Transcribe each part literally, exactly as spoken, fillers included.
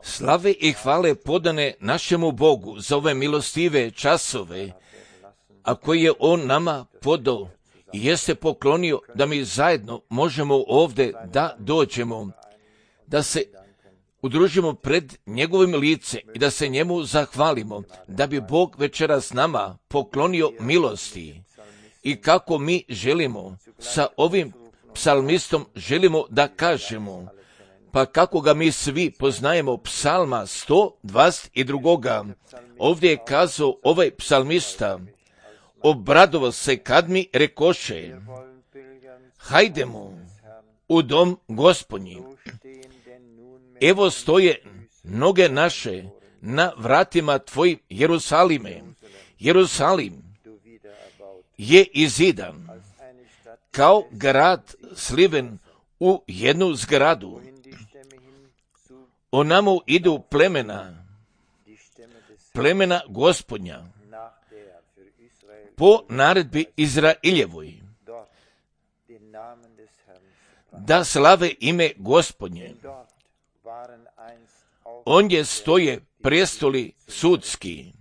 Slave i hvale podane našemu Bogu za ove milostive časove, a koje je On nama podao i jeste poklonio da mi zajedno možemo ovdje da dođemo, da se udružimo pred njegovim licem i da se njemu zahvalimo, da bi Bog večeras nama poklonio milosti. I kako mi želimo sa ovim psalmistom želimo da kažemo, pa kako ga mi svi poznajemo, psalma sto dvadeset dva. Ovdje je kazao ovaj psalmista: obradovao se kad mi rekoše, hajdemo u dom Gospodnji. Evo stoje noge naše na vratima tvojim, Jerusalime. Jerusalim je izidan kao grad sliven u jednu zgradu. Onamo idu plemena, plemena Gospodnja, po naredbi Izraeljevoj, da slave ime Gospodnje. Ondje stoje prestoli sudski,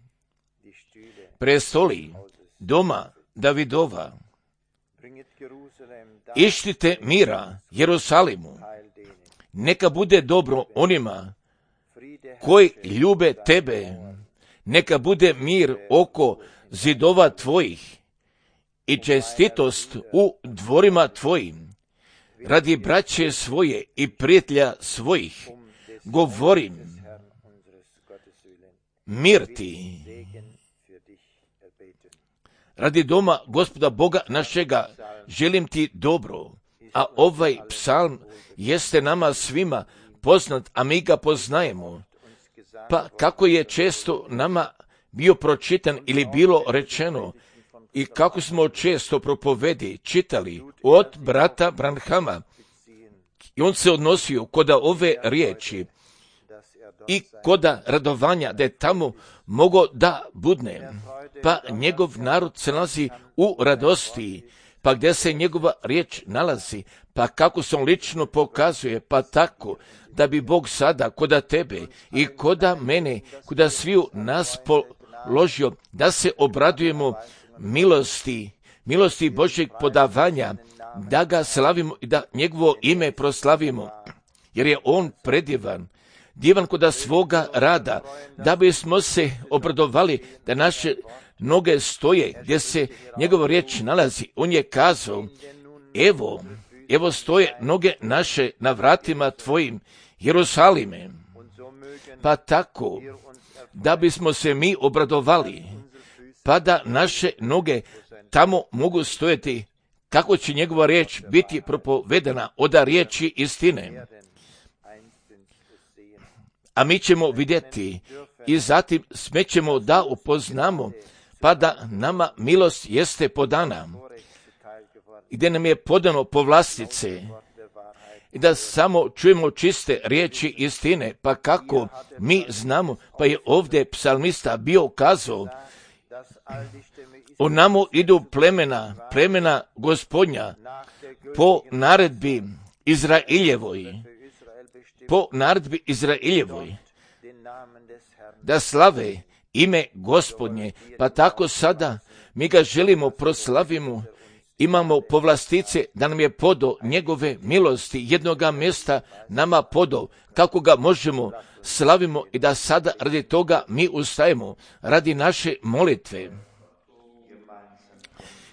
prestoli doma Davidova. Ištite mira Jerusalimu, neka bude dobro onima koji ljube tebe, neka bude mir oko zidova tvojih i čestitost u dvorima tvojim. Radi braće svoje i prijatelja svojih govorim, mir ti. Radi doma Gospoda Boga našega želim ti dobro, a ovaj psalm jeste nama svima poznat, a mi ga poznajemo. Pa kako je često nama bio pročitan ili bilo rečeno i kako smo često propovedi čitali od brata Branhama, i on se odnosio koda ove riječi i koda radovanja da je tamo mogo da budne, pa njegov narod se nalazi u radosti, pa gdje se njegova riječ nalazi, pa kako se on lično pokazuje, pa tako da bi Bog sada koda tebe i koda mene, koda sviju nas položio, da se obradujemo milosti, milosti Božjeg podavanja, da ga slavimo i da njegovo ime proslavimo, jer je on predivan, divan koda svoga rada, da bismo se obradovali da naše noge stoje gdje se njegova riječ nalazi. On je kazao, evo, evo stoje noge naše na vratima tvojim, Jerusalime. Pa tako, da bismo se mi obradovali, pa da naše noge tamo mogu stojati, kako će njegova riječ biti propovedana od riječi istine. A mi ćemo vidjeti i zatim smećemo da upoznamo, pa da nama milost jeste podana, gdje nam je podano povlastice, i da samo čujemo čiste riječi istine, pa kako mi znamo, pa je ovdje psalmista bio kazao, o namo idu plemena, plemena Gospodnja, po naredbi Izraeljevoj, po naredbi Izraeljevoj, da slave ime Gospodnje, pa tako sada mi ga želimo proslavimo, imamo povlastice da nam je podao njegove milosti, jednoga mjesta nama podao, kako ga možemo slavimo i da sada radi toga mi ustajemo, radi naše molitve.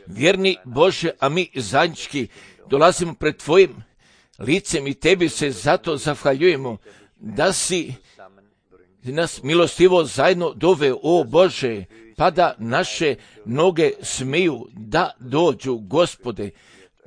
Vjerni Bože, a mi zajednički dolazimo pred tvojim licem i tebi se zato zahvaljujemo da si nas milostivo zajedno doveo, o Bože, pa da naše noge smiju da dođu, Gospode,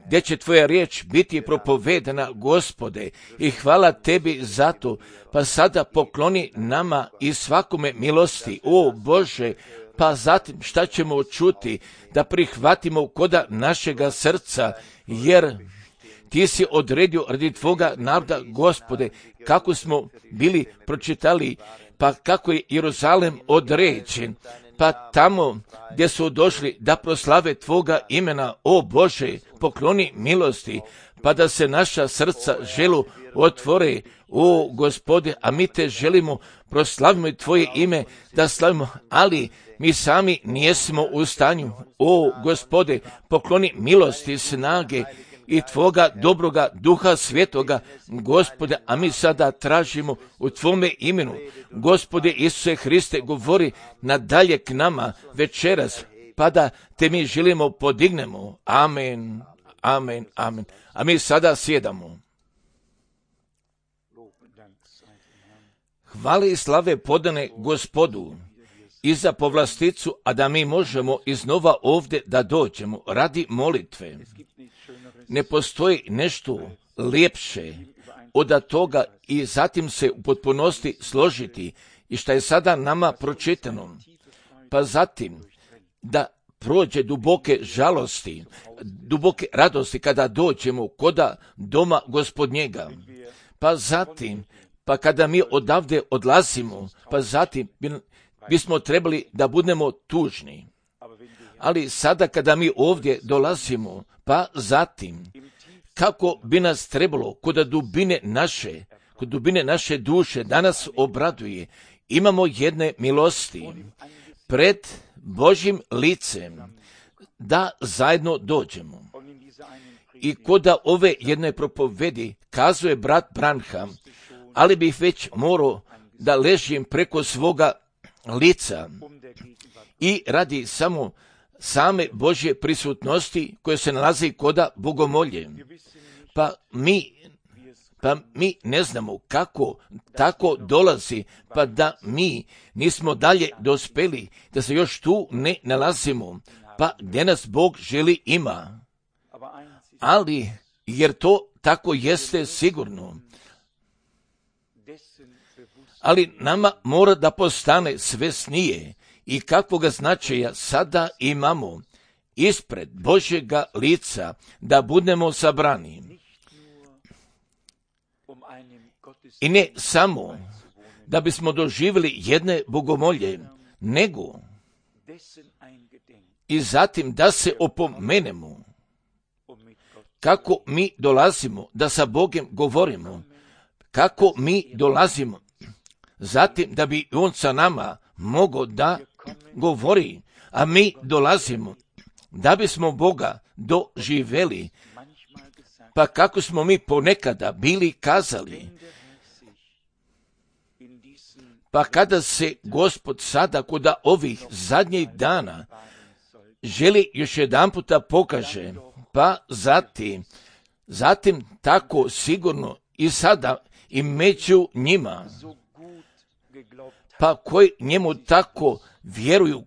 gdje će tvoja riječ biti propovedana, Gospode, i hvala tebi za to, pa sada pokloni nama i svakome milosti, o Bože, pa zatim šta ćemo čuti, da prihvatimo koda našega srca, jer ti si odredio radi tvoga naroda, Gospode, kako smo bili pročitali, pa kako je Jeruzalem određen, pa tamo gdje su došli da proslave tvoga imena, o Bože, pokloni milosti, pa da se naša srca želu otvore, o Gospode, a mi te želimo, proslavimo Tvoje ime, da slavimo, ali mi sami nijesmo u stanju. O Gospode, pokloni milosti, snage i Tvoga dobroga Duha Svetoga, Gospode, a mi sada tražimo u Tvome imenu. Gospode Isuse Hriste, govori nadalje k nama večeras, pa da te mi želimo podignemo. Amen, amen, amen. A mi sada sjedamo. Hvale i slave podane Gospodu i za povlasticu, a da mi možemo iznova ovdje da dođemo radi molitve. Ne postoji nešto ljepše od toga i zatim se u potpunosti složiti i što je sada nama pročitano, pa zatim da prođe duboke žalosti, duboke radosti kada dođemo koda doma Gospodnjega, pa zatim, pa kada mi odavde odlazimo, pa zatim bismo trebali da budemo tužni. Ali sada kada mi ovdje dolazimo, pa zatim, kako bi nas trebalo kod dubine naše, kod dubine naše duše da nas obraduje, imamo jedne milosti pred Božjim licem da zajedno dođemo. I koda ove jedne propovedi kazuje brat Branham, ali bih već morao da ležim preko svoga lica i radi samo same Božje prisutnosti koje se nalazi koda bogomolje. Pa mi, pa mi ne znamo kako tako dolazi, pa da mi nismo dalje dospeli, da se još tu ne nalazimo, pa gdje nas Bog želi ima. Ali, jer to tako jeste sigurno, ali nama mora da postane svesnije i kakvoga značaja sada imamo ispred Božjega lica da budemo sabrani. I ne samo da bismo doživjeli jedne bogomolje, nego i zatim da se opomenemo kako mi dolazimo, da sa Bogom govorimo, kako mi dolazimo, zatim da bi On sa nama mogao da govori, a mi dolazimo da bismo Boga doživjeli, pa kako smo mi ponekada bili kazali, pa kada se Gospod sada kod ovih zadnjih dana želi još jedan puta pokaže, pa zatim, zatim tako sigurno i sada i među njima, pa koji njemu tako vjeruju,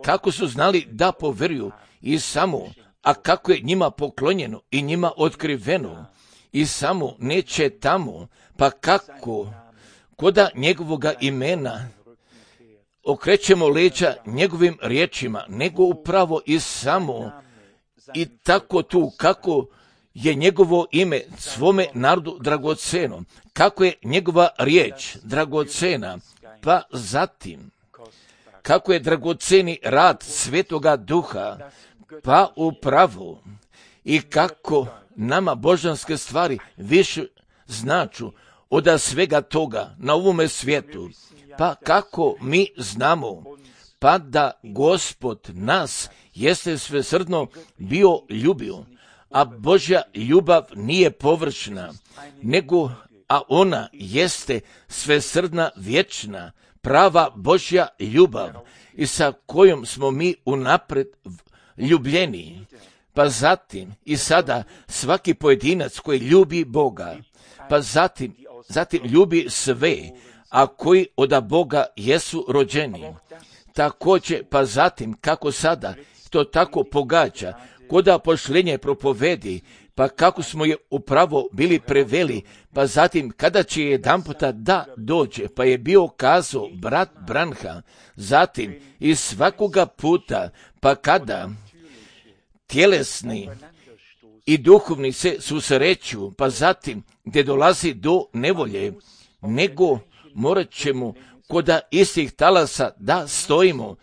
kako su znali da poveruju i samo, a kako je njima poklonjeno i njima otkriveno i samo neće tamo, pa kako koda njegovoga imena okrećemo leđa njegovim riječima, nego upravo i samo i tako tu, kako je njegovo ime svome narodu dragoceno, kako je njegova riječ dragocena, pa zatim kako je dragoceni rad Svetoga Duha, pa upravo i kako nama božanske stvari više značu od svega toga na ovome svijetu, pa kako mi znamo, pa da Gospod nas jeste svesrdno bio ljubio, a Božja ljubav nije površna, nego, a ona jeste svesrdna, vječna, prava Božja ljubav i sa kojom smo mi unapred ljubljeni. Pa zatim i sada svaki pojedinac koji ljubi Boga, pa zatim, zatim ljubi sve, a koji od Boga jesu rođeni. Također, pa zatim, kako sada to tako pogađa, koda pošljenje propovedi, pa kako smo je upravo bili preveli, pa zatim kada će jedan puta da dođe, pa je bio kazao brat Branham, zatim i svakoga puta, pa kada tjelesni i duhovni se susreću, pa zatim gdje dolazi do nevolje, nego morat ćemo koda istih talasa da stojimo,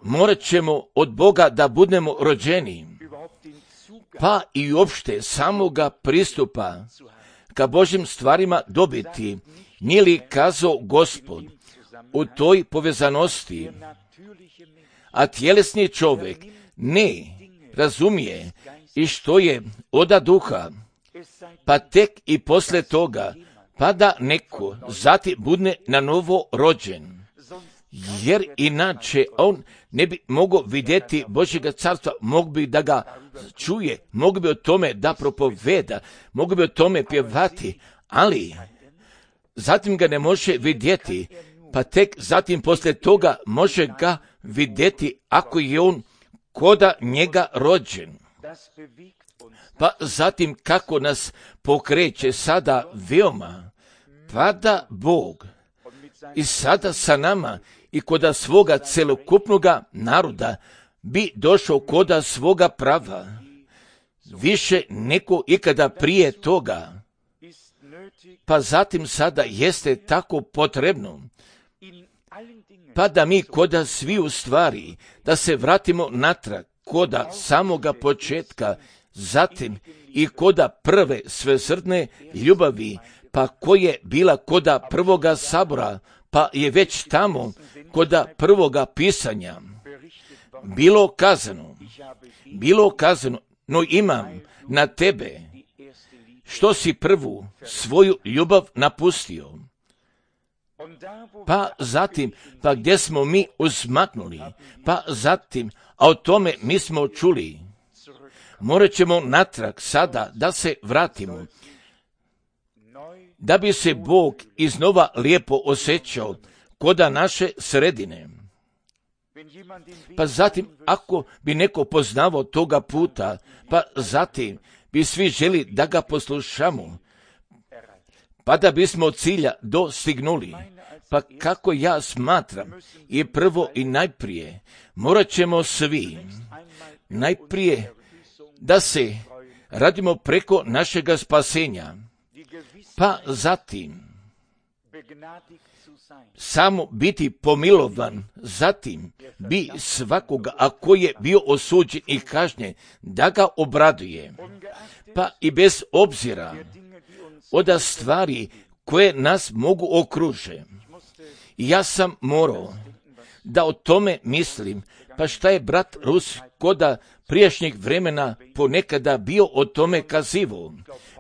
morat ćemo od Boga da budemo rođeni, pa i uopšte samoga pristupa ka Božim stvarima dobiti. Nije li kazao Gospod u toj povezanosti? A tjelesni čovjek ne razumije i što je oda duha, pa tek i posle toga, pa da neko zati budne na novo rođen. Jer inače on ne bi mogao vidjeti Božjega carstva, mogu bi da ga čuje, mogu bi o tome da propoveda, mogu bi o tome pjevati, ali zatim ga ne može vidjeti, pa tek zatim poslije toga može ga vidjeti ako je on koda njega rođen. Pa zatim kako nas pokreće sada veoma, pa da Bog i sada sa nama i koda svoga celokupnoga naroda bi došao koda svoga prava, više neko ikada prije toga. Pa zatim sada jeste tako potrebno, pa da mi koda svi u stvari, da se vratimo natrag koda samoga početka, zatim i koda prve svesrdne ljubavi, pa koje bila koda prvoga sabora, pa je već tamo koda prvoga pisanja bilo kazano, bilo kazano, no imam na tebe što si prvu svoju ljubav napustio. Pa zatim, pa gdje smo mi uzmaknuli, pa zatim, a o tome mi smo čuli, morat ćemo natrag sada da se vratimo, da bi se Bog iznova lijepo osjećao koda naše sredine. Pa zatim, ako bi neko poznavao toga puta, pa zatim bi svi želi da ga poslušamo, pa da bismo od cilja dostignuli. Pa kako ja smatram, i prvo i najprije, morat ćemo svi najprije da se radimo preko našega spasenja, pa zatim samo biti pomilovan, zatim bi svakoga, ako je bio osuđen i kažnjen, da ga obraduje, pa i bez obzira od stvari koje nas mogu okruže. Ja sam morao da o tome mislim, pa šta je brat Rus koda prijašnjeg vremena ponekada bio o tome kazivao.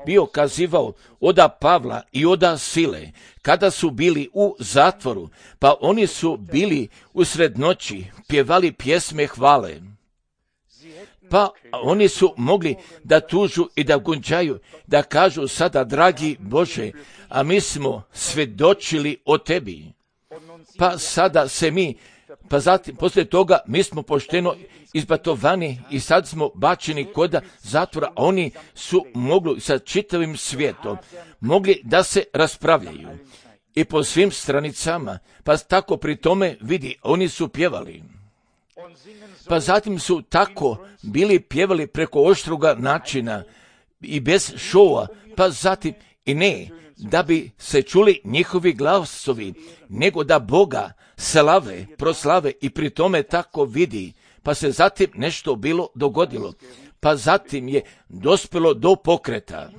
Bio kazivao oda Pavla i oda Sile, kada su bili u zatvoru, pa oni su bili usred noći, pjevali pjesme hvale. Pa oni su mogli da tužu i da gunđaju, da kažu sada, dragi Bože, a mi smo svjedočili o tebi. Pa sada se mi, pa zatim, poslije toga, mi smo pošteno izbatovani i sad smo bačeni koda zatvora, a oni su mogli sa čitavim svijetom, mogli da se raspravljaju. I po svim stranicama, pa tako pri tome vidi, oni su pjevali. Pa zatim su tako bili pjevali preko oštroga načina i bez šova, pa zatim i ne da bi se čuli njihovi glasovi, nego da Boga slave, proslave i pri tome tako vidi. Pa se zatim nešto bilo dogodilo, pa zatim je dospjelo do pokreta.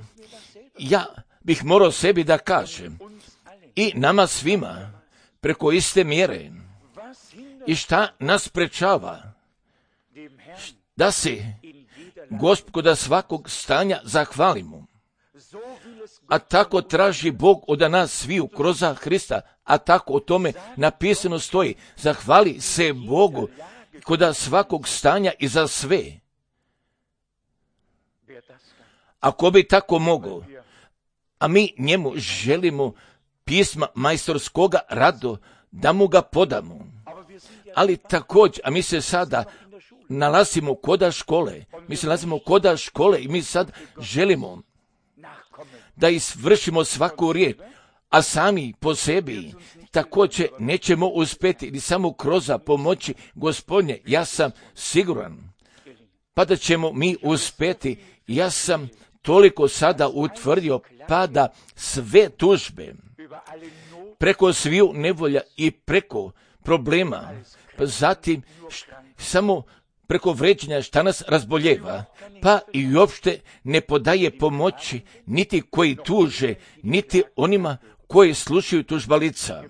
Ja bih morao sebi da kažem, i nama svima, preko iste mjere, i šta nas sprečava, da se Gospoda svakog stanja zahvalimo. A tako traži Bog od nas sviju kroz Hrista, a tako o tome napisano stoji, zahvali se Bogu koda svakog stanja i za sve. Ako bi tako mogao, a mi njemu želimo pisma majstorskoga rado da mu ga podamo. Ali također, a mi se sada nalazimo koda škole, mi se nalazimo koda škole i mi sad želimo da izvršimo svaku riječ, a sami po sebi također nećemo uspjeti ni samo kroz pomoći Gospodnje. Ja sam siguran, pa da ćemo mi uspjeti. Ja sam toliko sada utvrdio, pa da sve tužbe, preko sviju nevolja i preko problema, pa zatim samo preko vređanja šta nas razboljeva, pa i uopšte ne podaje pomoći niti koji tuže, niti onima koji slušaju tužbalica.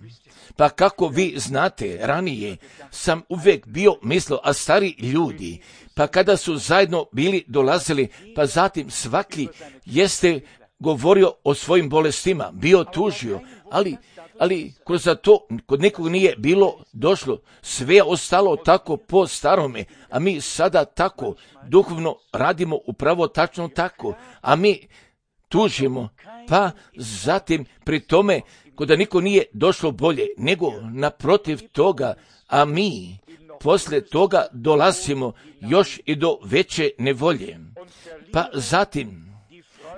Pa kako vi znate, ranije sam uvijek bio mislio, a stari ljudi, pa kada su zajedno bili dolazili, pa zatim svaki jeste govorio o svojim bolestima, bio tužio, ali, ali kroz to kod nekog nije bilo došlo, sve je ostalo tako po starome, a mi sada tako duhovno radimo upravo tačno tako, a mi tužimo, pa zatim pri tome kod da niko nije došlo bolje, nego naprotiv toga, a mi poslije toga dolazimo još i do veće nevolje. Pa zatim,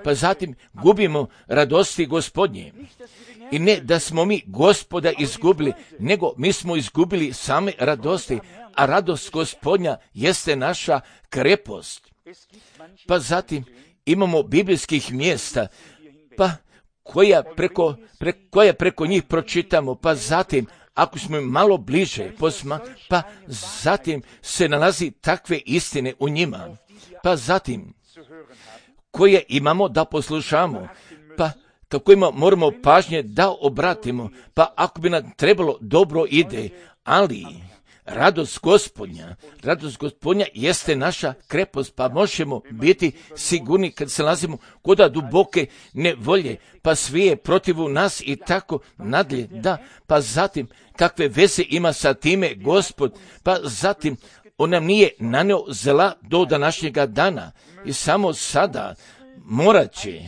pa zatim gubimo radosti Gospodnje. I ne da smo mi Gospoda izgubili, nego mi smo izgubili same radosti, a radost Gospodnja jeste naša krepost. Pa zatim imamo biblijskih mjesta, pa koja preko, pre, koja preko njih pročitamo, pa zatim ako smo im malo bliže posma, pa zatim se nalazi takve istine u njima, pa zatim koje imamo da poslušamo, pa kako ima moramo pažnje da obratimo, pa ako bi nam trebalo dobro ide, ali radost Gospodnja, radost Gospodnja jeste naša krepost, pa možemo biti sigurni kad se nalazimo kod duboke nevolje, pa sve je protiv nas i tako nadalje, da, pa zatim kakve veze ima sa time Gospod, pa zatim on nam nije naneo zla do današnjega dana i samo sada morat će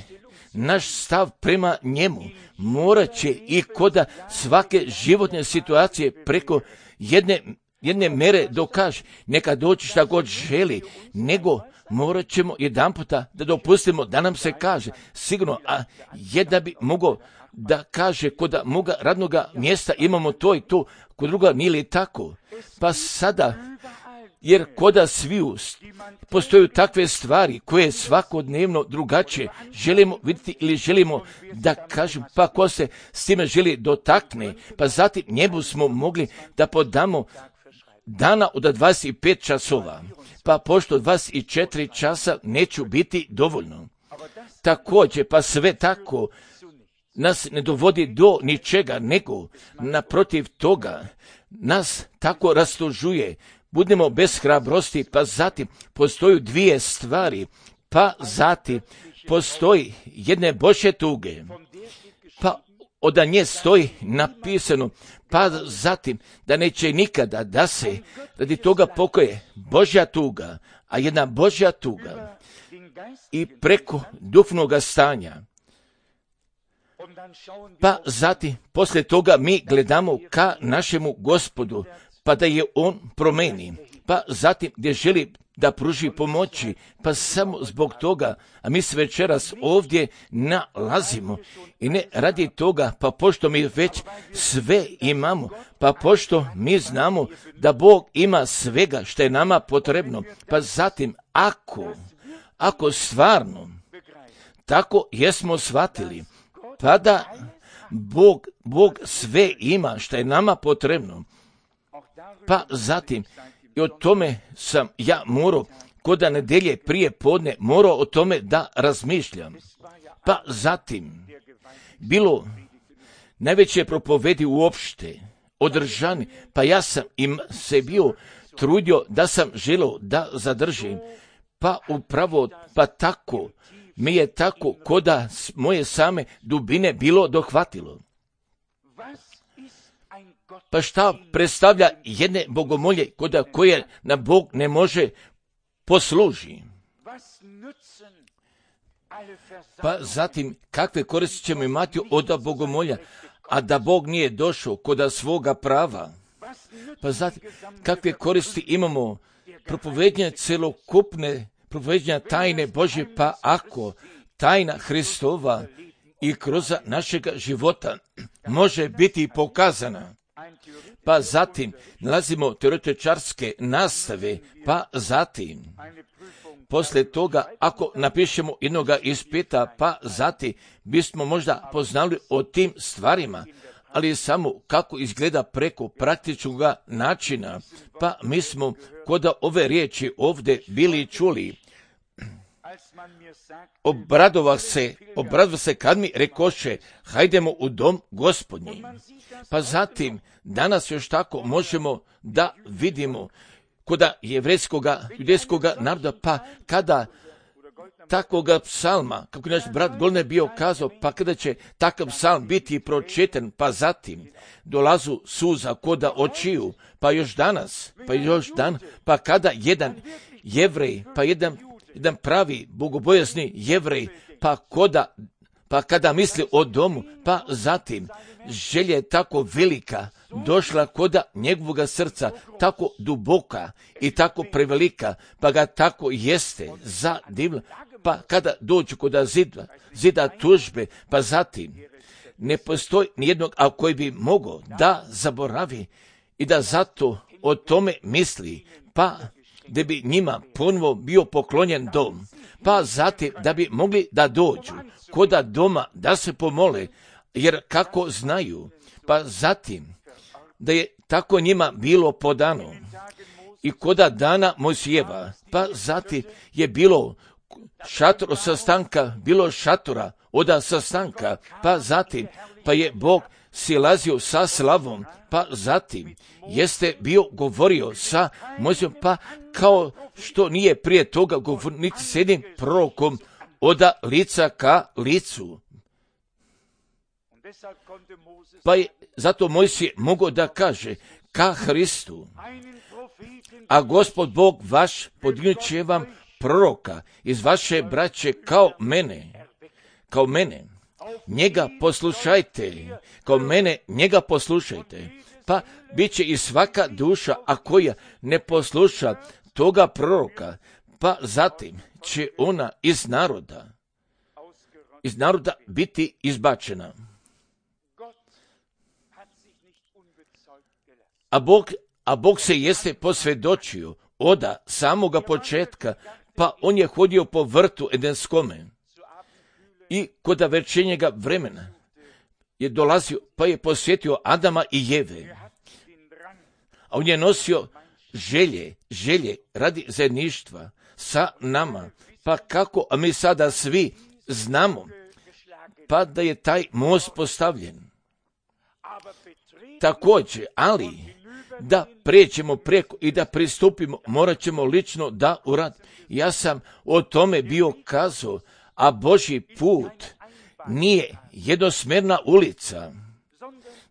naš stav prema njemu, morat će i koda svake životne situacije preko jedne jedne mere dokaže, neka doći šta god želi, nego morat ćemo jedan puta da dopustimo da nam se kaže, sigurno, a jedna bi mogao da kaže kod moga radnoga mjesta imamo to i to, kod druga nije li tako, pa sada, jer koda sviju postoju takve stvari koje svakodnevno drugačije želimo vidjeti ili želimo da kažem, pa ko se s time želi dotakne, pa zatim njemu smo mogli da podamo dana od dvadeset pet časova, pa pošto dvadeset četiri časa neću biti dovoljno. Također, pa sve tako nas ne dovodi do ničega, nego naprotiv toga nas tako rastužuje, budemo bez hrabrosti, pa zatim postoju dvije stvari, pa zatim postoji jedne Božje tuge, pa od nje stoji napisano, pa zatim da neće nikada da se radi toga pokoje Božja tuga, a jedna Božja tuga i preko duhovnog stanja. Pa zatim poslije toga mi gledamo ka našemu Gospodu, pa da je on promeni, pa zatim gdje želi da pruži pomoći, pa samo zbog toga, a mi se večeras ovdje nalazimo i ne radi toga, pa pošto mi već sve imamo, pa pošto mi znamo da Bog ima svega što je nama potrebno, pa zatim ako, ako stvarno tako jesmo shvatili, pa da Bog, Bog sve ima što je nama potrebno, pa zatim i o tome sam ja morao kod nedelje prije podne morao o tome da razmišljam. Pa zatim bilo najveće propovedi uopšte održani, pa ja sam im se bio trudio da sam želio da zadržim, pa upravo pa tako mi je tako koda moje same dubine bilo dohvatilo. Pa šta predstavlja jedne bogomolje koda koje na Bog ne može posluži? Pa zatim kakve koristi ćemo imati od bogomolja, a da Bog nije došao koda svoga prava? Pa zatim kakve koristi imamo propovednje celokupne, propovednja tajne Božje, pa ako tajna Hristova i kroz našega života može biti pokazana. Pa zatim nalazimo teoretičarske nastave, pa zatim poslije toga ako napišemo jednoga ispita, pa zatim bismo možda poznali o tim stvarima, ali samo kako izgleda preko praktičnog načina. Pa mi smo kod ove riječi ovdje bili čuli. Obradovah se, obradovah se kad mi rekoše, hajdemo u dom Gospodnji. Pa zatim, danas još tako možemo da vidimo kod jevrejskoga, judejskoga naroda, pa kada takvoga psalma, kako naš brat Golne bio kazao, pa kada će takav psalm biti pročitan, pa zatim dolazu suza koda očiju, pa još danas, pa još dan, pa kada jedan jevrej, pa jedan, jedan pravi bogobojazni jevrej, pa koda, pa kada misli o domu, pa zatim želja je tako velika došla koda njegovoga srca, tako duboka i tako prevelika, pa ga tako jeste zadivla, pa kada dođu koda zida, zida tužbe, pa zatim ne postoji nijednog, a koji bi mogao da zaboravi i da zato o tome misli, pa da bi njima ponovo bio poklonjen dom, pa zatim da bi mogli da dođu koda doma da se pomole, jer kako znaju, pa zatim da je tako njima bilo podano i koda dana Mojsijeva, pa zatim je bilo šator sastanka, bilo šatora oda sastanka, pa zatim pa je Bog silazio sa slavom, pa zatim jeste bio govorio sa Mojsijom, pa kao što nije prije toga govorio niti s jednim prorokom oda lica ka licu. Pa je zato Mojsije mogao da kaže ka Hristu, a Gospod Bog vaš podignut će vam proroka iz vaše braće kao mene, kao mene, njega poslušajte, kao mene, njega poslušajte, pa bit će i svaka duša, a koja ne posluša toga proroka, pa zatim će ona iz naroda, iz naroda biti izbačena. A Bog, a Bog se jeste posvjedočio oda samoga početka, pa on je hodio po vrtu Edenskome i koda večernjega vremena je dolazio, pa je posjetio Adama i Jeve. A on je nosio želje, želje radi zajedništva sa nama, pa kako, a mi sada svi znamo, pa da je taj most postavljen. Također, ali da pređemo preko i da pristupimo, morat ćemo lično da uradimo. Ja sam o tome bio kazao, a Božji put nije jednosmjerna ulica,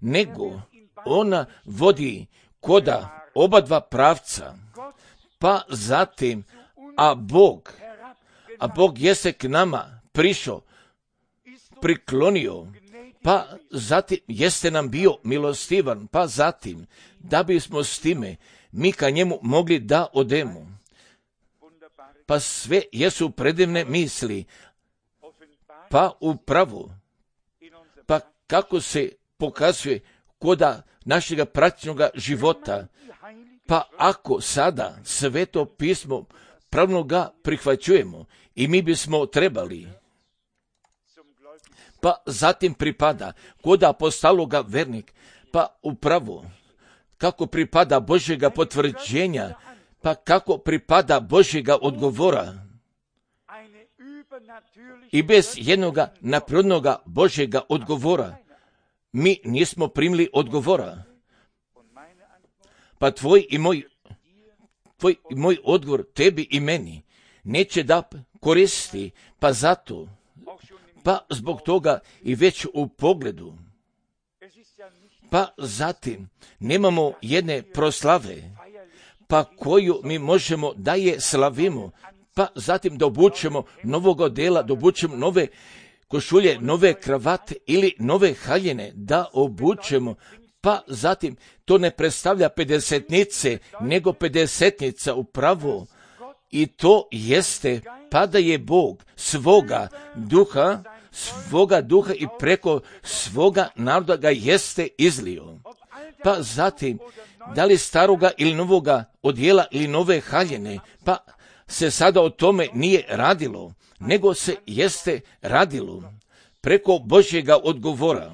nego ona vodi koda oba dva pravca, pa zatim, a Bog, a Bog jeste k nama prišao, priklonio, pa zatim jeste nam bio milostivan, pa zatim da bismo s time mi ka njemu mogli da odemo. Pa sve jesu predivne misli, pa upravo, pa kako se pokazuje koda našega praktičnog života, pa ako sada sveto pismo pravno ga prihvaćujemo i mi bismo trebali, pa zatim pripada kod apostologa vernik, pa upravo kako pripada Božjega potvrđenja, pa kako pripada Božjega odgovora. I bez jednoga naprednoga Božjega odgovora mi nismo primili odgovora. Pa tvoj i moj, tvoj i moj odgovor tebi i meni neće da koristi, pa zato, pa zbog toga i već u pogledu. Pa zatim nemamo jedne proslave, pa koju mi možemo da je slavimo, pa zatim da obučemo novog odela, da obučemo nove košulje, nove kravate ili nove haljine, da obučemo, pa zatim to ne predstavlja pedesetnice, nego pedesetnica upravo. I to jeste, pa da je Bog svoga duha, svoga duha i preko svoga naroda ga jeste izlio. Pa zatim, da li staroga ili novoga odjela ili nove haljine, pa se sada o tome nije radilo, nego se jeste radilo preko Božjega odgovora.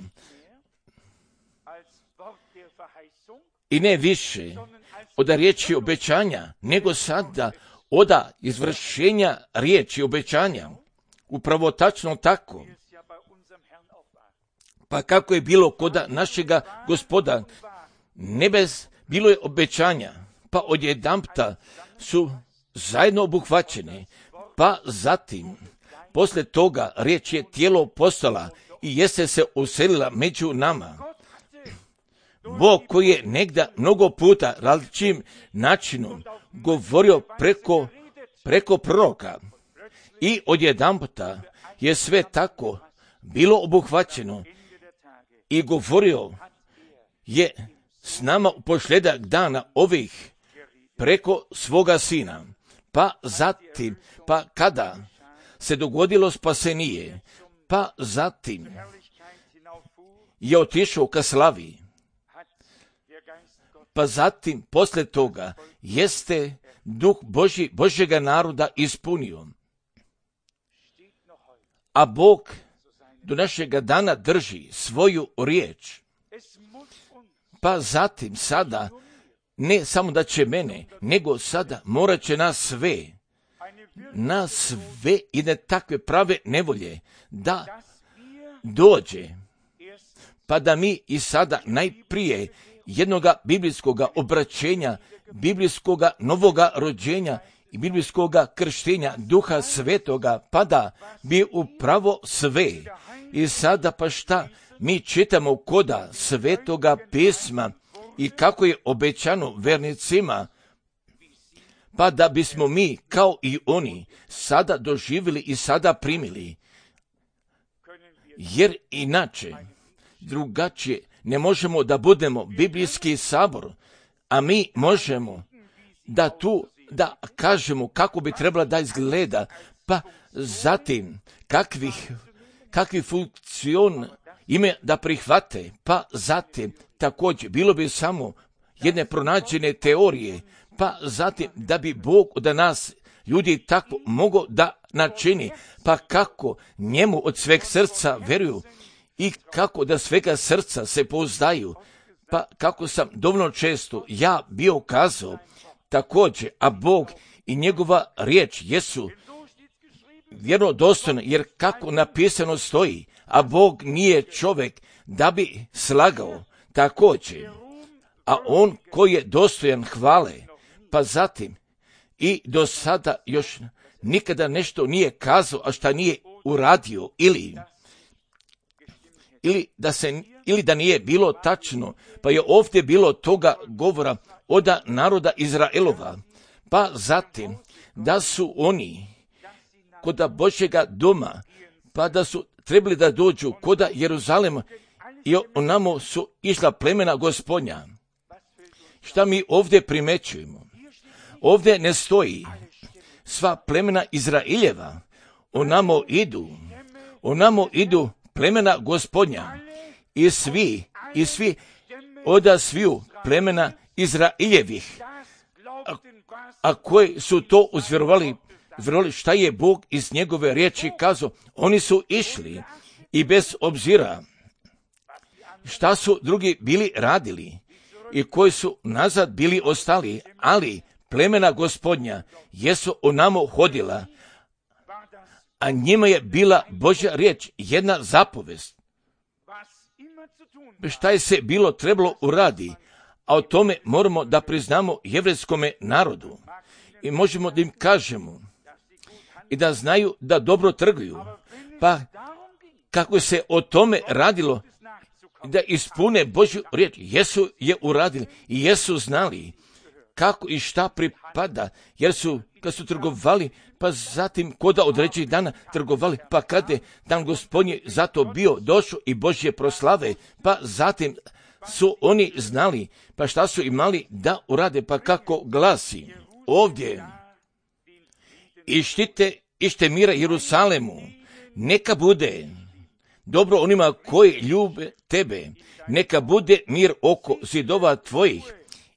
i ne više od riječi obećanja, nego sada od izvršenja riječi obećanja. Upravo tačno tako. Pa kako je bilo kod našega Gospoda, nebes bilo je obećanja, pa odjedanputa su zajedno obuhvaćene, pa zatim, poslije toga riječ je tijelo postala i jeste se uselila među nama. Bog koji je negdje mnogo puta različitim načinom govorio preko, preko proroka i odjedanputa je sve tako bilo obuhvaćeno i govorio je s nama u posljedak dana ovih preko svoga sina. Pa zatim, pa kada se dogodilo spasenije, pa zatim je otišao ka slavi, pa zatim poslije toga jeste duh Božji, Božjega naroda ispunio. A Bog do našega dana drži svoju riječ. Pa zatim sada, ne samo da će mene, nego sada morat će nas sve, nas sve i ne takve prave nevolje, da dođe, pa da mi i sada najprije jednoga biblijskoga obraćenja, biblijskoga novoga rođenja i biblijskoga krštenja Duha Svetoga, pa da bi upravo sve. I sada pa šta mi čitamo koda Svetoga pisma i kako je obećano vernicima, pa da bismo mi kao i oni sada doživjeli i sada primili. Jer inače, drugačije, ne možemo da budemo biblijski sabor, a mi možemo da tu da kažemo kako bi trebala da izgleda, pa zatim kakvih, kakvi funkcion ime da prihvate, pa zatim također bilo bi samo jedne pronađene teorije, pa zatim da bi Bog od nas ljudi tako mogo da načini, pa kako njemu od sveg srca veruju i kako da svega srca se pouzdaju, pa kako sam dovoljno često ja bio kazao također, a Bog i njegova riječ jesu vjerodostojne, jer kako napisano stoji, a Bog nije čovjek da bi slagao također, a on koji je dostojan hvale, pa zatim i do sada još nikada nešto nije kazao, a šta nije uradio, ili ili da se ili da nije bilo tačno, pa je ovdje bilo toga govora od naroda Izraelova, pa zatim da su oni koda Božjega doma, pa da su trebali da dođu koda Jeruzalema i onamo su išla plemena Gospodnja. Šta mi ovdje primećujemo? Ovdje ne stoji sva plemena Izraeljeva, onamo idu, onamo idu plemena Gospodnja i svi, i svi oda sviju plemena Izraeljevih, a, a koji su to uzvjerovali, vjerovali šta je Bog iz njegove riječi kazao, oni su išli i bez obzira šta su drugi bili radili i koji su nazad bili ostali, ali plemena Gospodnja jesu onamo hodila, a njima je bila Božja riječ, jedna zapovest. Šta je se bilo trebalo uradi, a o tome moramo da priznamo jevrejskome narodu i možemo da im kažemo i da znaju da dobro trguju, pa kako se o tome radilo, da ispune Božju riječ, jesu je uradili i jesu znali kako i šta pripada, jer su, kad su trgovali, pa zatim koda određenih dana trgovali, pa kada je dan Gospodnji zato bio došao i Božje proslave, pa zatim su oni znali, pa šta su imali da urade, pa kako glasi ovdje, ištite, ište mira Jerusalemu, neka bude dobro onima koji ljube tebe, neka bude mir oko zidova tvojih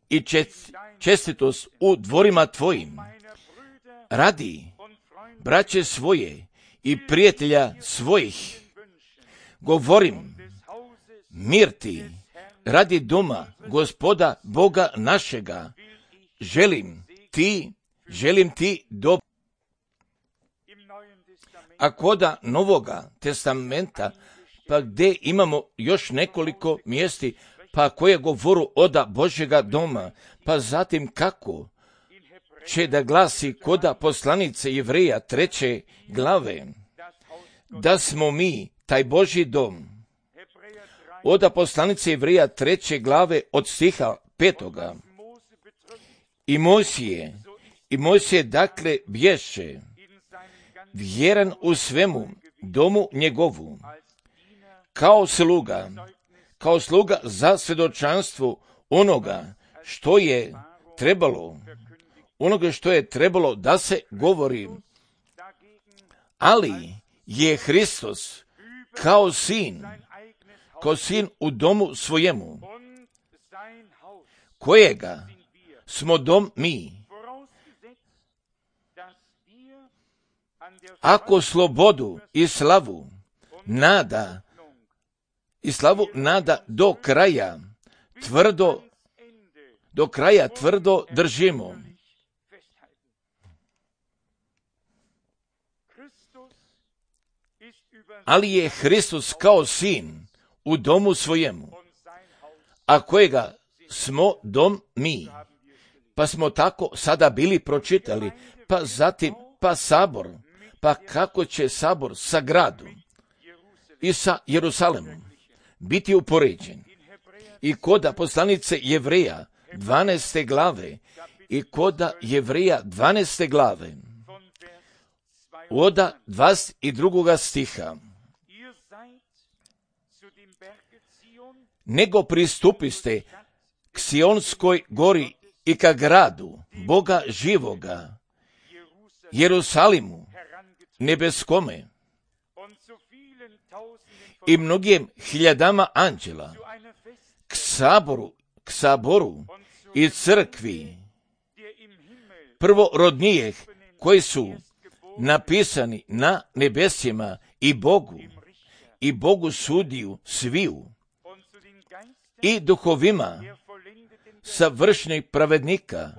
i čest, čestitost u dvorima tvojim. Radi braće svoje i prijatelja svojih, govorim, mir ti radi doma Gospoda Boga našega, želim ti, želim ti dobro. A koda Novoga testamenta, pa gdje imamo još nekoliko mjesti, pa koje govoru oda Božjega doma, pa zatim kako će da glasi koda poslanice Jevreja treće glave, da smo mi taj Božji dom. Oda poslanice Jevreja treće glave od stiha petoga. I Mojsije, i Mojsije dakle bješe, vjeran u svemu domu njegovu, kao sluga, kao sluga za svjedočanstvo onoga što je trebalo, onoga što je trebalo da se govori. Ali je Hristos kao sin, kao sin u domu svojemu, kojega smo dom mi. Ako slobodu i slavu nada, i slavu nada do kraja, tvrdo, do kraja tvrdo držimo. Ali je Hristos kao sin u domu svojemu, a kojega smo dom mi. Pa smo tako sada bili pročitali, pa zatim, pa sabor, pa kako će sabor sa gradom i sa Jerusalemom biti upoređen. I koda poslanice Jevreja dvanaeste glave, i koda Jevreja dvanaeste glave, oda dvadeset drugoga stiha. Nego pristupiste k Sionskoj gori i ka gradu Boga živoga, Jerusalimu, nebeskome, i mnogim hiljadama anđela, k saboru, k saboru i crkvi prvorodnijih koji su napisani na nebesima i Bogu, i Bogu sudiju sviju, i duhovima savršenih pravednika,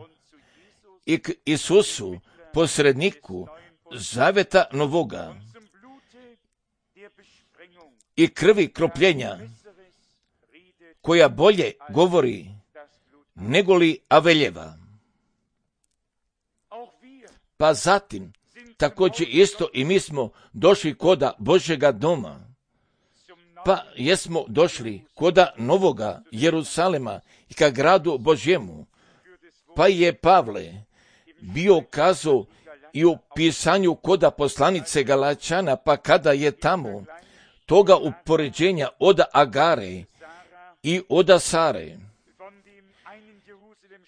i k Isusu, posredniku zaveta novoga, i krvi kropljenja, koja bolje govori negoli Aveljeva. Pa zatim, također isto i mi smo došli koda Božjega doma, pa jesmo došli koda novoga Jerusalema i ka gradu Božjemu, pa je Pavle bio kazao i u pisanju koda poslanice Galačana, pa kada je tamo toga upoređenja oda Agare i oda Sare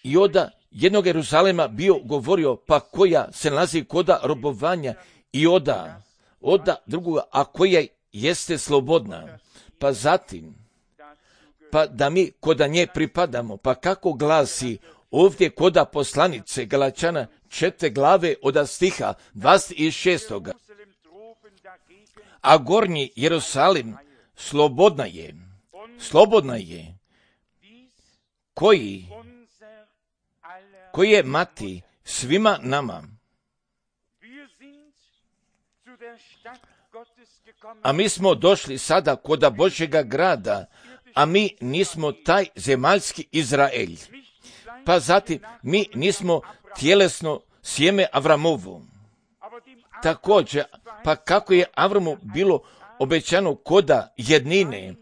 i oda jednog Jeruzalema bio govorio, pa koja se nalazi koda robovanja, i oda, oda drugoga, a koja jeste slobodna. Pa zatim, pa da mi koda nje pripadamo, pa kako glasi ovdje koda poslanice Galačana četiri glave od stiha dvadeset šestoga. A gornji Jerusalim slobodna je, slobodna je, koji, koji je mati svima nama. A mi smo došli sada koda Božjega grada, a mi nismo taj zemaljski Izraelj. Pa zatim mi nismo tjelesno sjeme Avramovo. Također, pa kako je Avramu bilo obećano koda jednine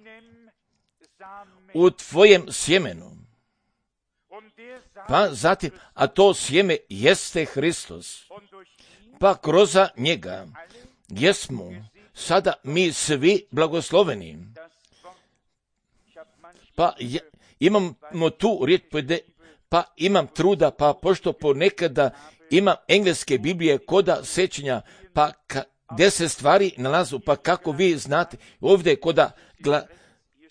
u tvojem sjemenu. Pa zatim, a to sjeme jeste Hristos. Pa kroz njega jesmo sada mi svi blagosloveni. Pa je, imamo tu riječ, pa imam truda, pa pošto ponekada imam engleske Biblije koda sećanja, pa ka, deset stvari nalazu, pa kako vi znate, ovdje koda gla,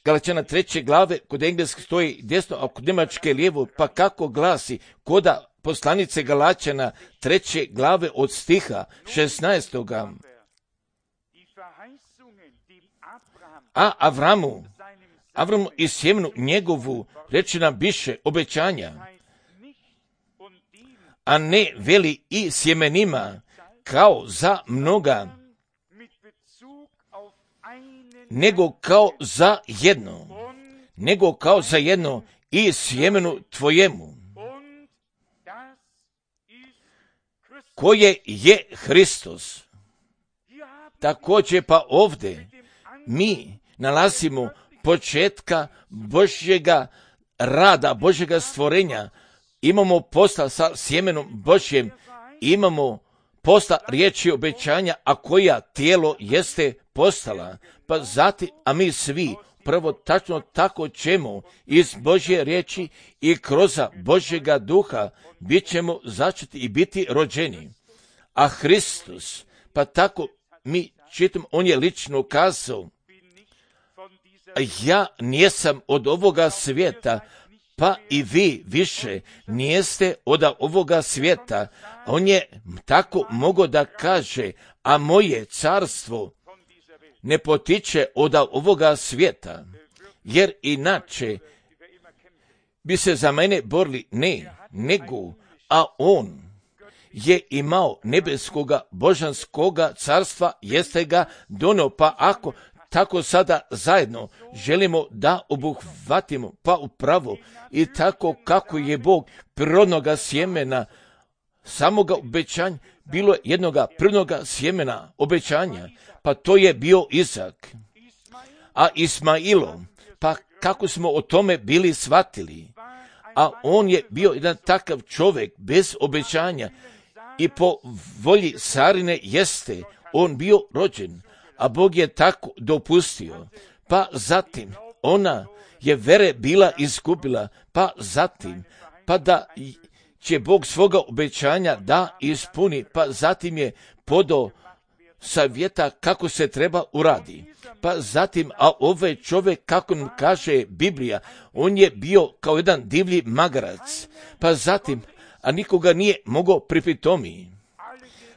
Galačana treće glave, kod engleske stoji desno, a kod njemačke lijevo, pa kako glasi koda poslanice Galačana treće glave od stiha šesnaestoga. A Avramu, Avramu i sjemenu njegovu rečena biše obećanja, a ne veli i sjemenima kao za mnoga, nego kao za jedno, nego kao za jedno i sjemenu tvojemu, koje je Hristos. Također pa ovdje mi nalazimo početka Božjega rada, Božjega stvorenja. Imamo posla sa sjemenom Božjem, imamo posla riječi obećanja, a koja tijelo jeste postala. Pa zatim, a mi svi prvo tačno tako ćemo iz Božje riječi i kroz Božjega duha bit ćemo začeti i biti rođeni. A Hristos, pa tako mi čitamo, on je lično kazao, ja nisam od ovoga svijeta, pa i vi više nijeste od ovoga svijeta. On je tako mogao da kaže, a moje carstvo ne potiče od ovoga svijeta, jer inače bi se za mene borili, ne, nego, a on je imao nebeskoga božanskoga carstva, jeste ga donio, pa ako tako sada zajedno želimo da obuhvatimo, pa upravo i tako kako je Bog prirodnoga sjemena, samoga obećanja, bilo je jednoga prirodnoga sjemena obećanja, pa to je bio Izak. A Ismailo, pa kako smo o tome bili shvatili, a on je bio jedan takav čovjek bez obećanja i po volji Sarine jeste on bio rođen, a Bog je tako dopustio. Pa zatim ona je vere bila izgubila, pa zatim, pa da će Bog svoga obećanja da ispuni, pa zatim je podao savjeta kako se treba uradi. Pa zatim, a ovaj čovjek, kako nam kaže Biblija, on je bio kao jedan divlji magarac, pa zatim, a nikoga nije mogao pripitomiti.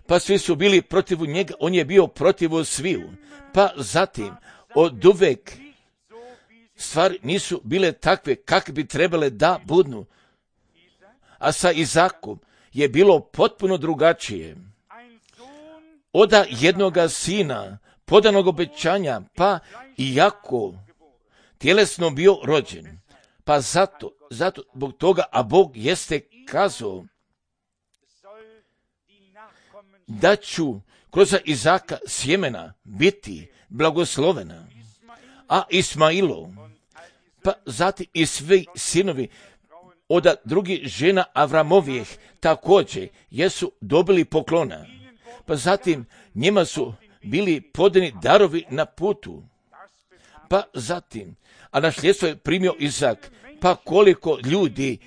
Pa svi su bili protiv njega, on je bio protiv sviju. Pa zatim, od uvek stvari nisu bile takve kakve bi trebale da budu. A sa Izakom je bilo potpuno drugačije. Oda jednoga sina, podanog obećanja, pa iako tjelesno bio rođen. Pa zato, zato, zbog toga, a Bog jeste kazao da ću kroz Izaka sjemena biti blagoslovena, a Ismailo, pa zatim i svi sinovi od drugih žena Avramovijeh također jesu dobili poklona, pa zatim njima su bili podani darovi na putu, pa zatim, a nasljedstvo je primio Izak, pa koliko ljudi,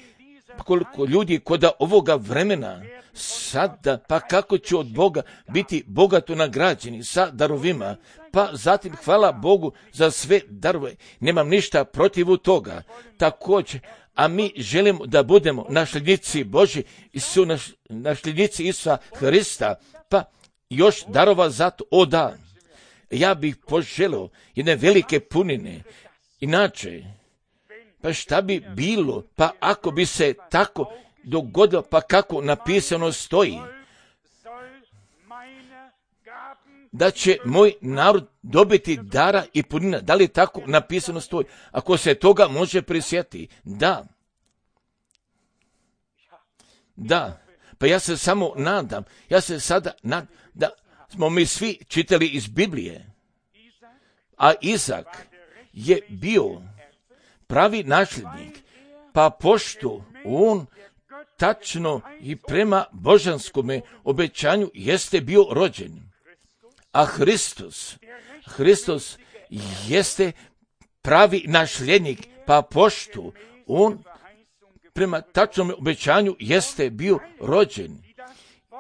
pa koliko ljudi kod ovoga vremena sada, pa kako će od Boga biti bogato nagrađeni sa darovima, pa zatim hvala Bogu za sve darove, nemam ništa protiv toga, također, a mi želimo da budemo nasljednici Božji i su naš, nasljednici Isusa Hrista, pa još darova zato, o da, ja bih poželio jedne velike punine, inače, pa šta bi bilo, pa ako bi se tako dogodilo, pa kako napisano stoji, da će moj narod dobiti dara i punina, da li tako napisano stoji, ako se toga može prisjetiti, da, da, pa ja se samo nadam, ja se sada nadam, da smo mi svi čitali iz Biblije, a Izak je bio pravi nasljednik, pa pošto on tačno i prema božanskome obećanju jeste bio rođen, a Hristos, Hristos jeste pravi nasljednik, pa pošto on prema tačnom obećanju jeste bio rođen,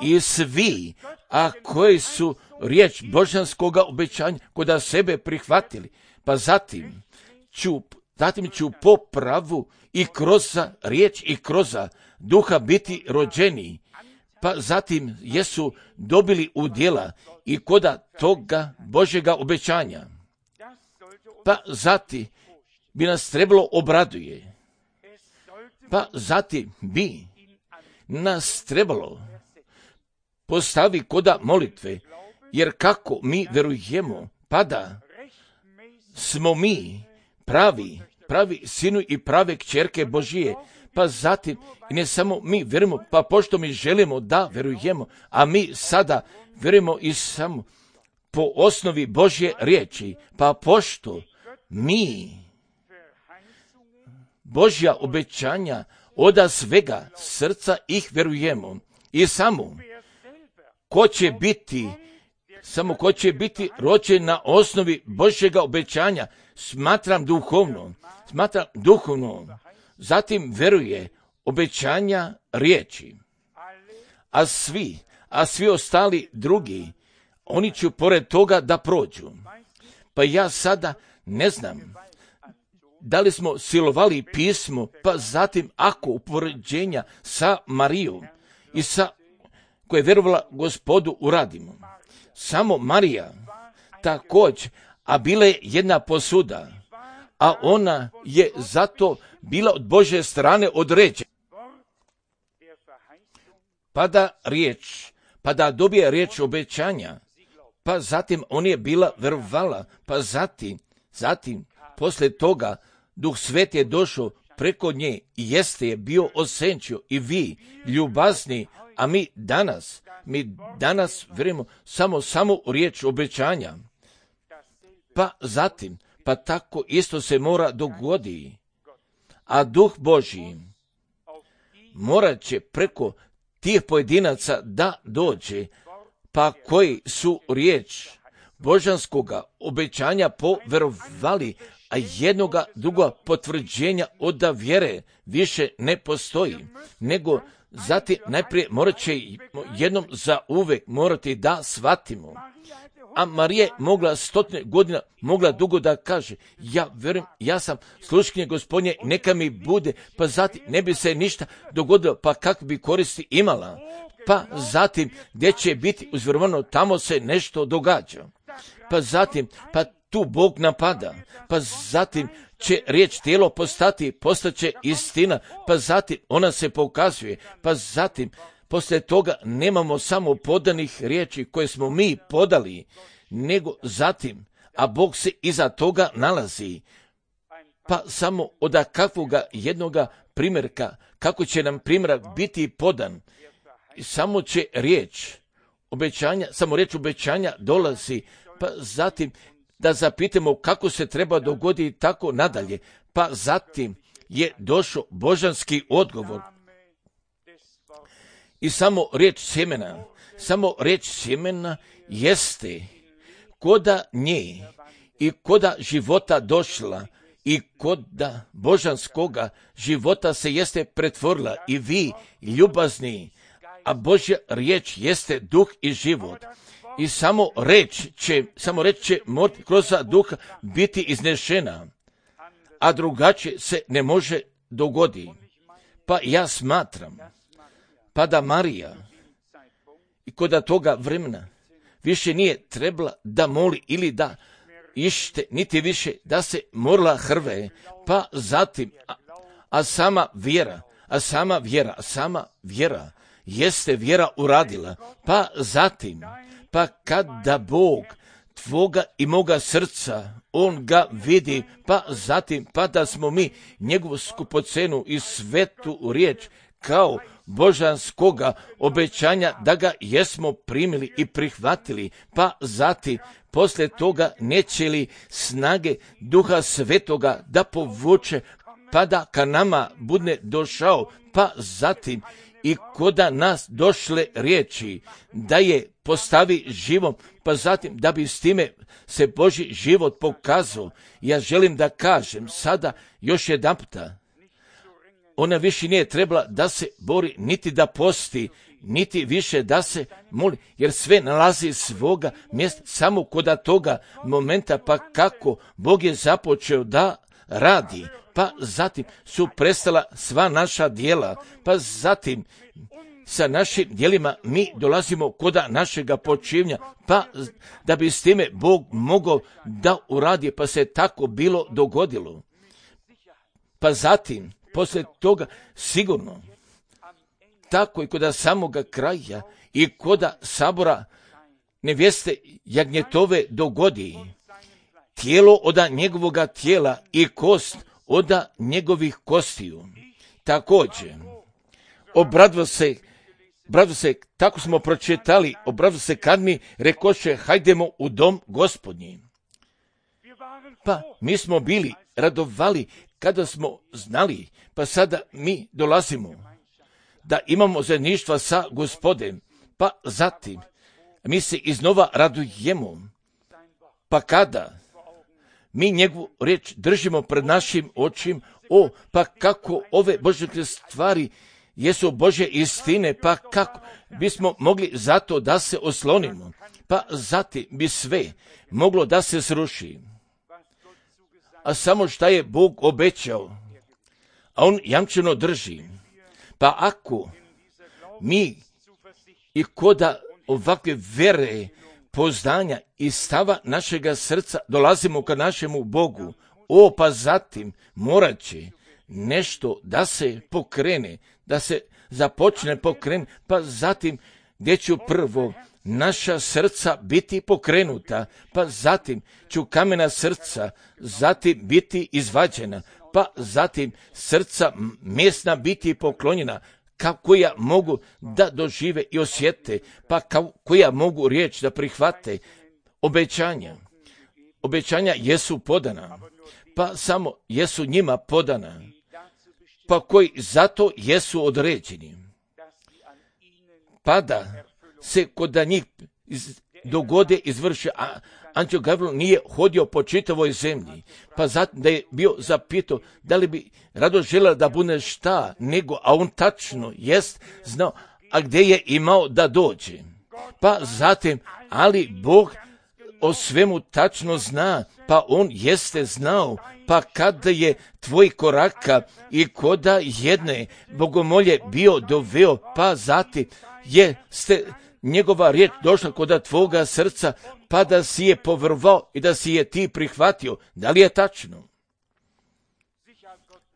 i svi, a koji su riječ božanskoga obećanja kod sebe prihvatili, pa zatim ću, zatim ću po pravu i kroz riječ i kroz duha biti rođeni, pa zatim jesu dobili udjela i koda toga Božjega obećanja. Pa zatim bi nas trebalo obraduje. Pa zatim bi nas trebalo postavi koda molitve, jer kako mi verujemo, pa da smo mi pravi, pravi sinu i prave kćerke Božije, pa zatim i ne samo mi verujemo, pa pošto mi želimo da verujemo, a mi sada verujemo i samo po osnovi Božje riječi, pa pošto mi Božja obećanja oda svega srca ih verujemo i samo ko će biti, samo ko će biti rođen na osnovi Božjega obećanja, smatram duhovno, smatram duhovno, zatim veruje obećanja riječi. A svi, a svi ostali drugi, oni će pored toga da prođu. Pa ja sada ne znam da li smo silovali pismo, pa zatim ako upoređenja sa Marijom i sa koja je vjerovala Gospodu uradimo. Samo Marija također, a bila je jedna posuda, a ona je zato bila od Božje strane određena. Pa da riječ, pa da dobije riječ obećanja, pa zatim on je bila verovala, pa zatim, zatim, poslije toga, Duh Sveti je došao preko nje i jeste je bio osenčio i vi, ljubazni, a mi danas, mi danas verujemo samo, samo u riječ obećanja. Pa zatim, pa tako isto se mora dogoditi. A Duh Božji morat će preko tih pojedinaca da dođe, pa koji su riječ božanskoga obećanja poverovali, a jednoga druga potvrđenja od vjere više ne postoji, nego zatim najprije morat će jednom za uvek morati da shvatimo. A Marija je mogla stotine godina, mogla dugo da kaže, ja verujem, ja sam sluškinje Gospodnje, neka mi bude, pa zatim ne bi se ništa dogodilo, pa kak bi koristi imala. Pa zatim, gdje će biti uzvjerovano, tamo se nešto događa. Pa zatim, pa tu Bog napada, pa zatim će riječ tijelo postati, postaće istina, pa zatim ona se pokazuje, pa zatim poslije toga nemamo samo podanih riječi koje smo mi podali, nego zatim, a Bog se iza toga nalazi, pa samo od kakvoga jednoga primjerka, kako će nam primjerak biti podan, samo će riječ obećanja, samo riječ obećanja dolazi, pa zatim da zapitamo kako se treba dogoditi tako nadalje, pa zatim je došao božanski odgovor. I samo riječ sjemena, samo riječ sjemena jeste koda nje i koda života došla i koda božanskoga života se jeste pretvorila i vi ljubazni, a Božja riječ jeste duh i život. I samo reč će, samo reč će kroz duha biti iznešena, a drugačije se ne može dogoditi. Pa ja smatram, pa da Marija i kod toga vremena više nije trebala da moli ili da ište, niti više da se morala hrve, pa zatim, a, a sama vjera, a sama vjera, a sama vjera jeste vjera uradila, pa zatim, pa kada Bog tvoga i moga srca, on ga vidi, pa zatim, pa da smo mi njegovu skupocenu i svetu riječ kao božanskoga obećanja da ga jesmo primili i prihvatili, pa zatim, poslije toga neće li snage Duha Svetoga da povuče, pa da ka nama bude došao, pa zatim i koda nas došle riječi, da je postavi živom, pa zatim da bi s time se Božji život pokazao. Ja želim da kažem sada još jedan puta, ona više nije trebala da se bori, niti da posti, niti više da se moli, jer sve nalazi svoga mjesta samo kod toga momenta, pa kako Bog je započeo da radi, pa zatim su prestala sva naša djela, pa zatim sa našim djelima mi dolazimo kod našega počivnja, pa da bi s time Bog mogao da uradi, pa se tako bilo dogodilo. Pa zatim, poslije toga, sigurno, tako i kod samoga kraja i kod sabora nevjeste jagnjetove dogodi, tijelo oda njegovoga tijela i kost oda njegovih kostiju. Također, obradva se, obradva se, tako smo pročitali, obradva se kad mi rekoše, hajdemo u dom Gospodnji. Pa mi smo bili radovali kada smo znali, pa sada mi dolazimo da imamo zajedništva sa Gospodem, pa zatim mi se iznova radujemo, pa kada mi njegovu riječ držimo pred našim očima, o, pa kako ove Božje stvari jesu Božje istine, pa kako bismo mogli zato da se oslonimo, pa zatim bi sve moglo da se sruši. A samo šta je Bog obećao, a on jamčeno drži. Pa ako mi i koda ovakve vere, poznanja i stava našega srca dolazimo ka našemu Bogu, o, pa zatim morat će nešto da se pokrene, da se započne pokrene, pa zatim gdje će prvo naša srca biti pokrenuta, pa zatim će kamena srca zatim biti izvađena, pa zatim srca mesna biti poklonjena, koja mogu da dožive i osjete, pa koja mogu riječ da prihvate. Obećanja. Obećanja jesu podana, pa samo jesu njima podana, pa koji zato jesu određeni. Pa da se kod njih dogode izvrše, a anđeo Gavril nije hodio po čitavoj zemlji, pa zatim da je bio zapitao da li bi rado želeo da bude šta, nego, a on tačno jest znao, a gdje je imao da dođe. Pa zatim, ali Bog o svemu tačno zna, pa on jeste znao, pa kada je tvoj koraka i koda jedne bogomolje bio doveo, pa zatim jeste njegova riječ došla kod tvoga srca, pa da si je povrvao i da si je ti prihvatio. Da li je tačno?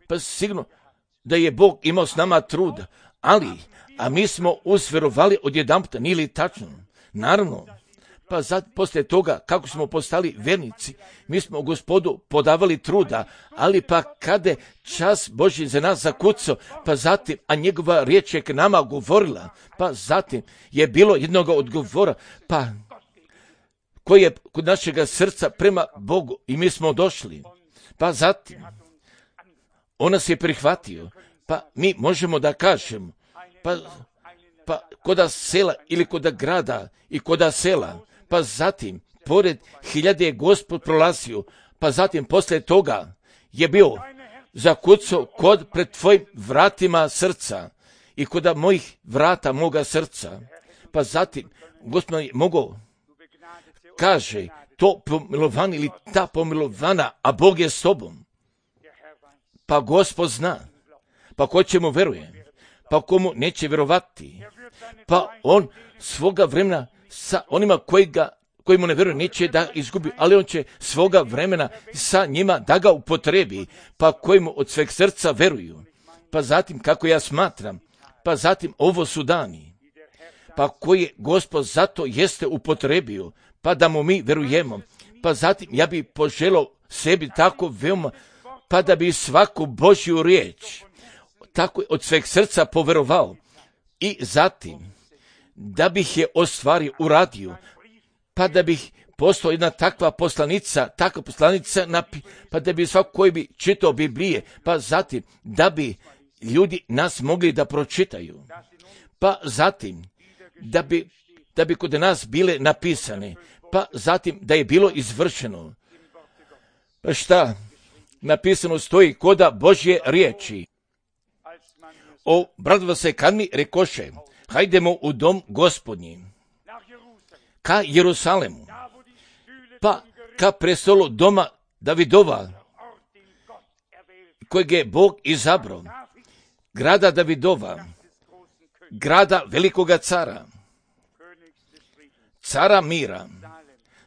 Pa sigurno da je Bog imao s nama truda, ali, a mi smo usverovali odjedanputa, nije li tačno? Naravno. Pa zad, poslije toga, kako smo postali vernici, mi smo Gospodu podavali truda, ali pa kada čas Božji za nas zakucao, pa zatim, a njegova riječ je k nama govorila, pa zatim je bilo jednog odgovora, pa koji je kod našega srca prema Bogu i mi smo došli, pa zatim on nas je prihvatio, pa mi možemo da kažemo, pa, pa koda sela ili koda grada i koda sela, pa zatim, pored hiljade je Gospod prolazio, pa zatim poslije toga je bio zakucao kod pred tvojim vratima srca i kod mojih vrata moga srca. Pa zatim, Gospod je mogao, kaže, to pomilovan ili ta pomilovana, a Bog je s tobom. Pa Gospod zna, pa ko će mu veruje, pa komu neće vjerovati, pa on svoga vremena sa onima koji, ga, koji mu ne vjeruju neće da izgubi, ali on će svoga vremena sa njima da ga upotrebi, pa koji mu od sveg srca veruju. Pa zatim, kako ja smatram, pa zatim ovo su dani, pa koji je Gospod zato jeste upotrebio, pa da mu mi verujemo. Pa zatim, ja bi poželao sebi tako veoma, pa da bi svaku Božju riječ tako od sveg srca poverovao i zatim da bih je ostvario, uradio, pa da bih postao jedna takva poslanica, takva poslanica, napi, pa da bi svako koji bi čitao Biblije, pa zatim da bi ljudi nas mogli da pročitaju, pa zatim da bi, da bi kod nas bile napisane, pa zatim da je bilo izvršeno. Pa šta? Napisano stoji koda Božje riječi. O, bratva se kad mi rekoše, hajdemo u dom Gospodnji, ka Jerusalemu, pa ka prestolu doma Davidova, kojeg je Bog izabrao, grada Davidova, grada velikoga cara, cara mira,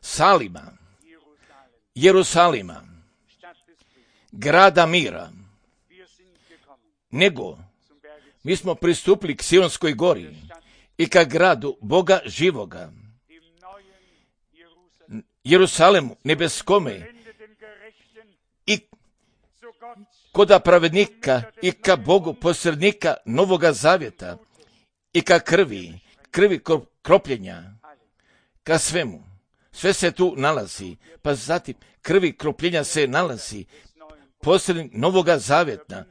Salima, Jerusalima, grada mira. nego mi smo pristupili k Sionskoj gori i ka gradu Boga živoga, Jerusalemu nebeskome i koda pravednika i ka Bogu posrednika Novoga zavjeta i ka krvi, krvi kropljenja, ka svemu. Sve se tu nalazi, pa zatim krvi kropljenja se nalazi posrednik Novoga zavjeta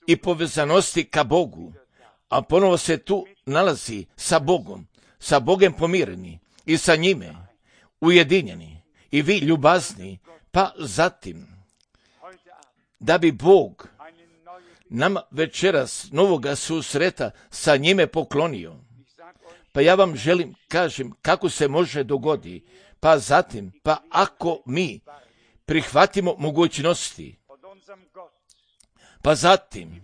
i povezanosti ka Bogu, a ponovo se tu nalazi sa Bogom, sa Bogom pomireni i sa njime ujedinjeni i vi ljubazni, pa zatim da bi Bog nama večeras novoga susreta sa njime poklonio. Pa ja vam želim, kažem, kako se može dogodi, pa zatim, pa ako mi prihvatimo mogućnosti, pa zatim,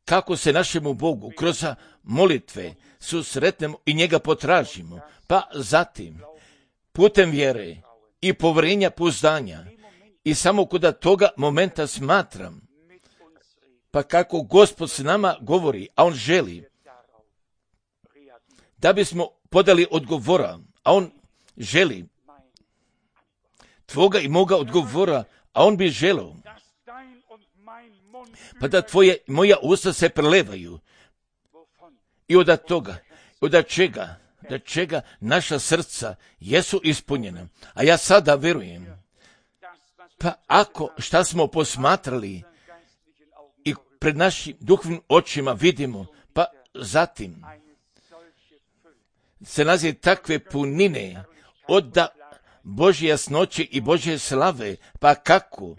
kako se našemu Bogu kroz molitve susretnemo i njega potražimo, pa zatim, putem vjere i povjerenja pouzdanja i samo kod toga momenta smatram, pa kako Gospod s nama govori, a on želi da bismo podali odgovora, a on želi tvoga i moga odgovora, a on bi želio pa da tvoje i moja usta se prelevaju i od toga, od čega, da čega naša srca jesu ispunjena. A ja sada vjerujem, pa ako šta smo posmatrali i pred našim duhovnim očima vidimo, pa zatim se nalazi takve punine od Božje jasnoće i Božje slave, pa kako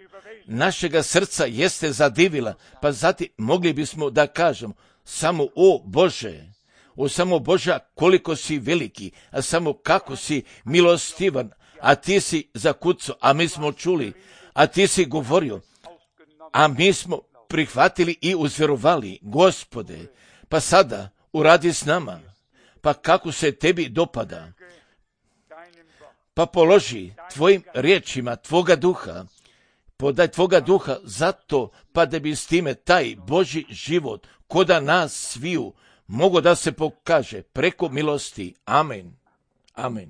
našega srca jeste zadivila, pa zatim mogli bismo da kažemo samo o Bože, o samo Boža koliko si veliki, a samo kako si milostivan, a ti si zakucao, a mi smo čuli, a ti si govorio, a mi smo prihvatili i uzvjerovali, Gospode, pa sada uradi s nama, pa kako se tebi dopada, pa položi tvojim riječima tvoga duha, podaj tvoga duha zato, pa da bi s time taj Božji život koda nas sviju mogo da se pokaže preko milosti. Amen. Amen.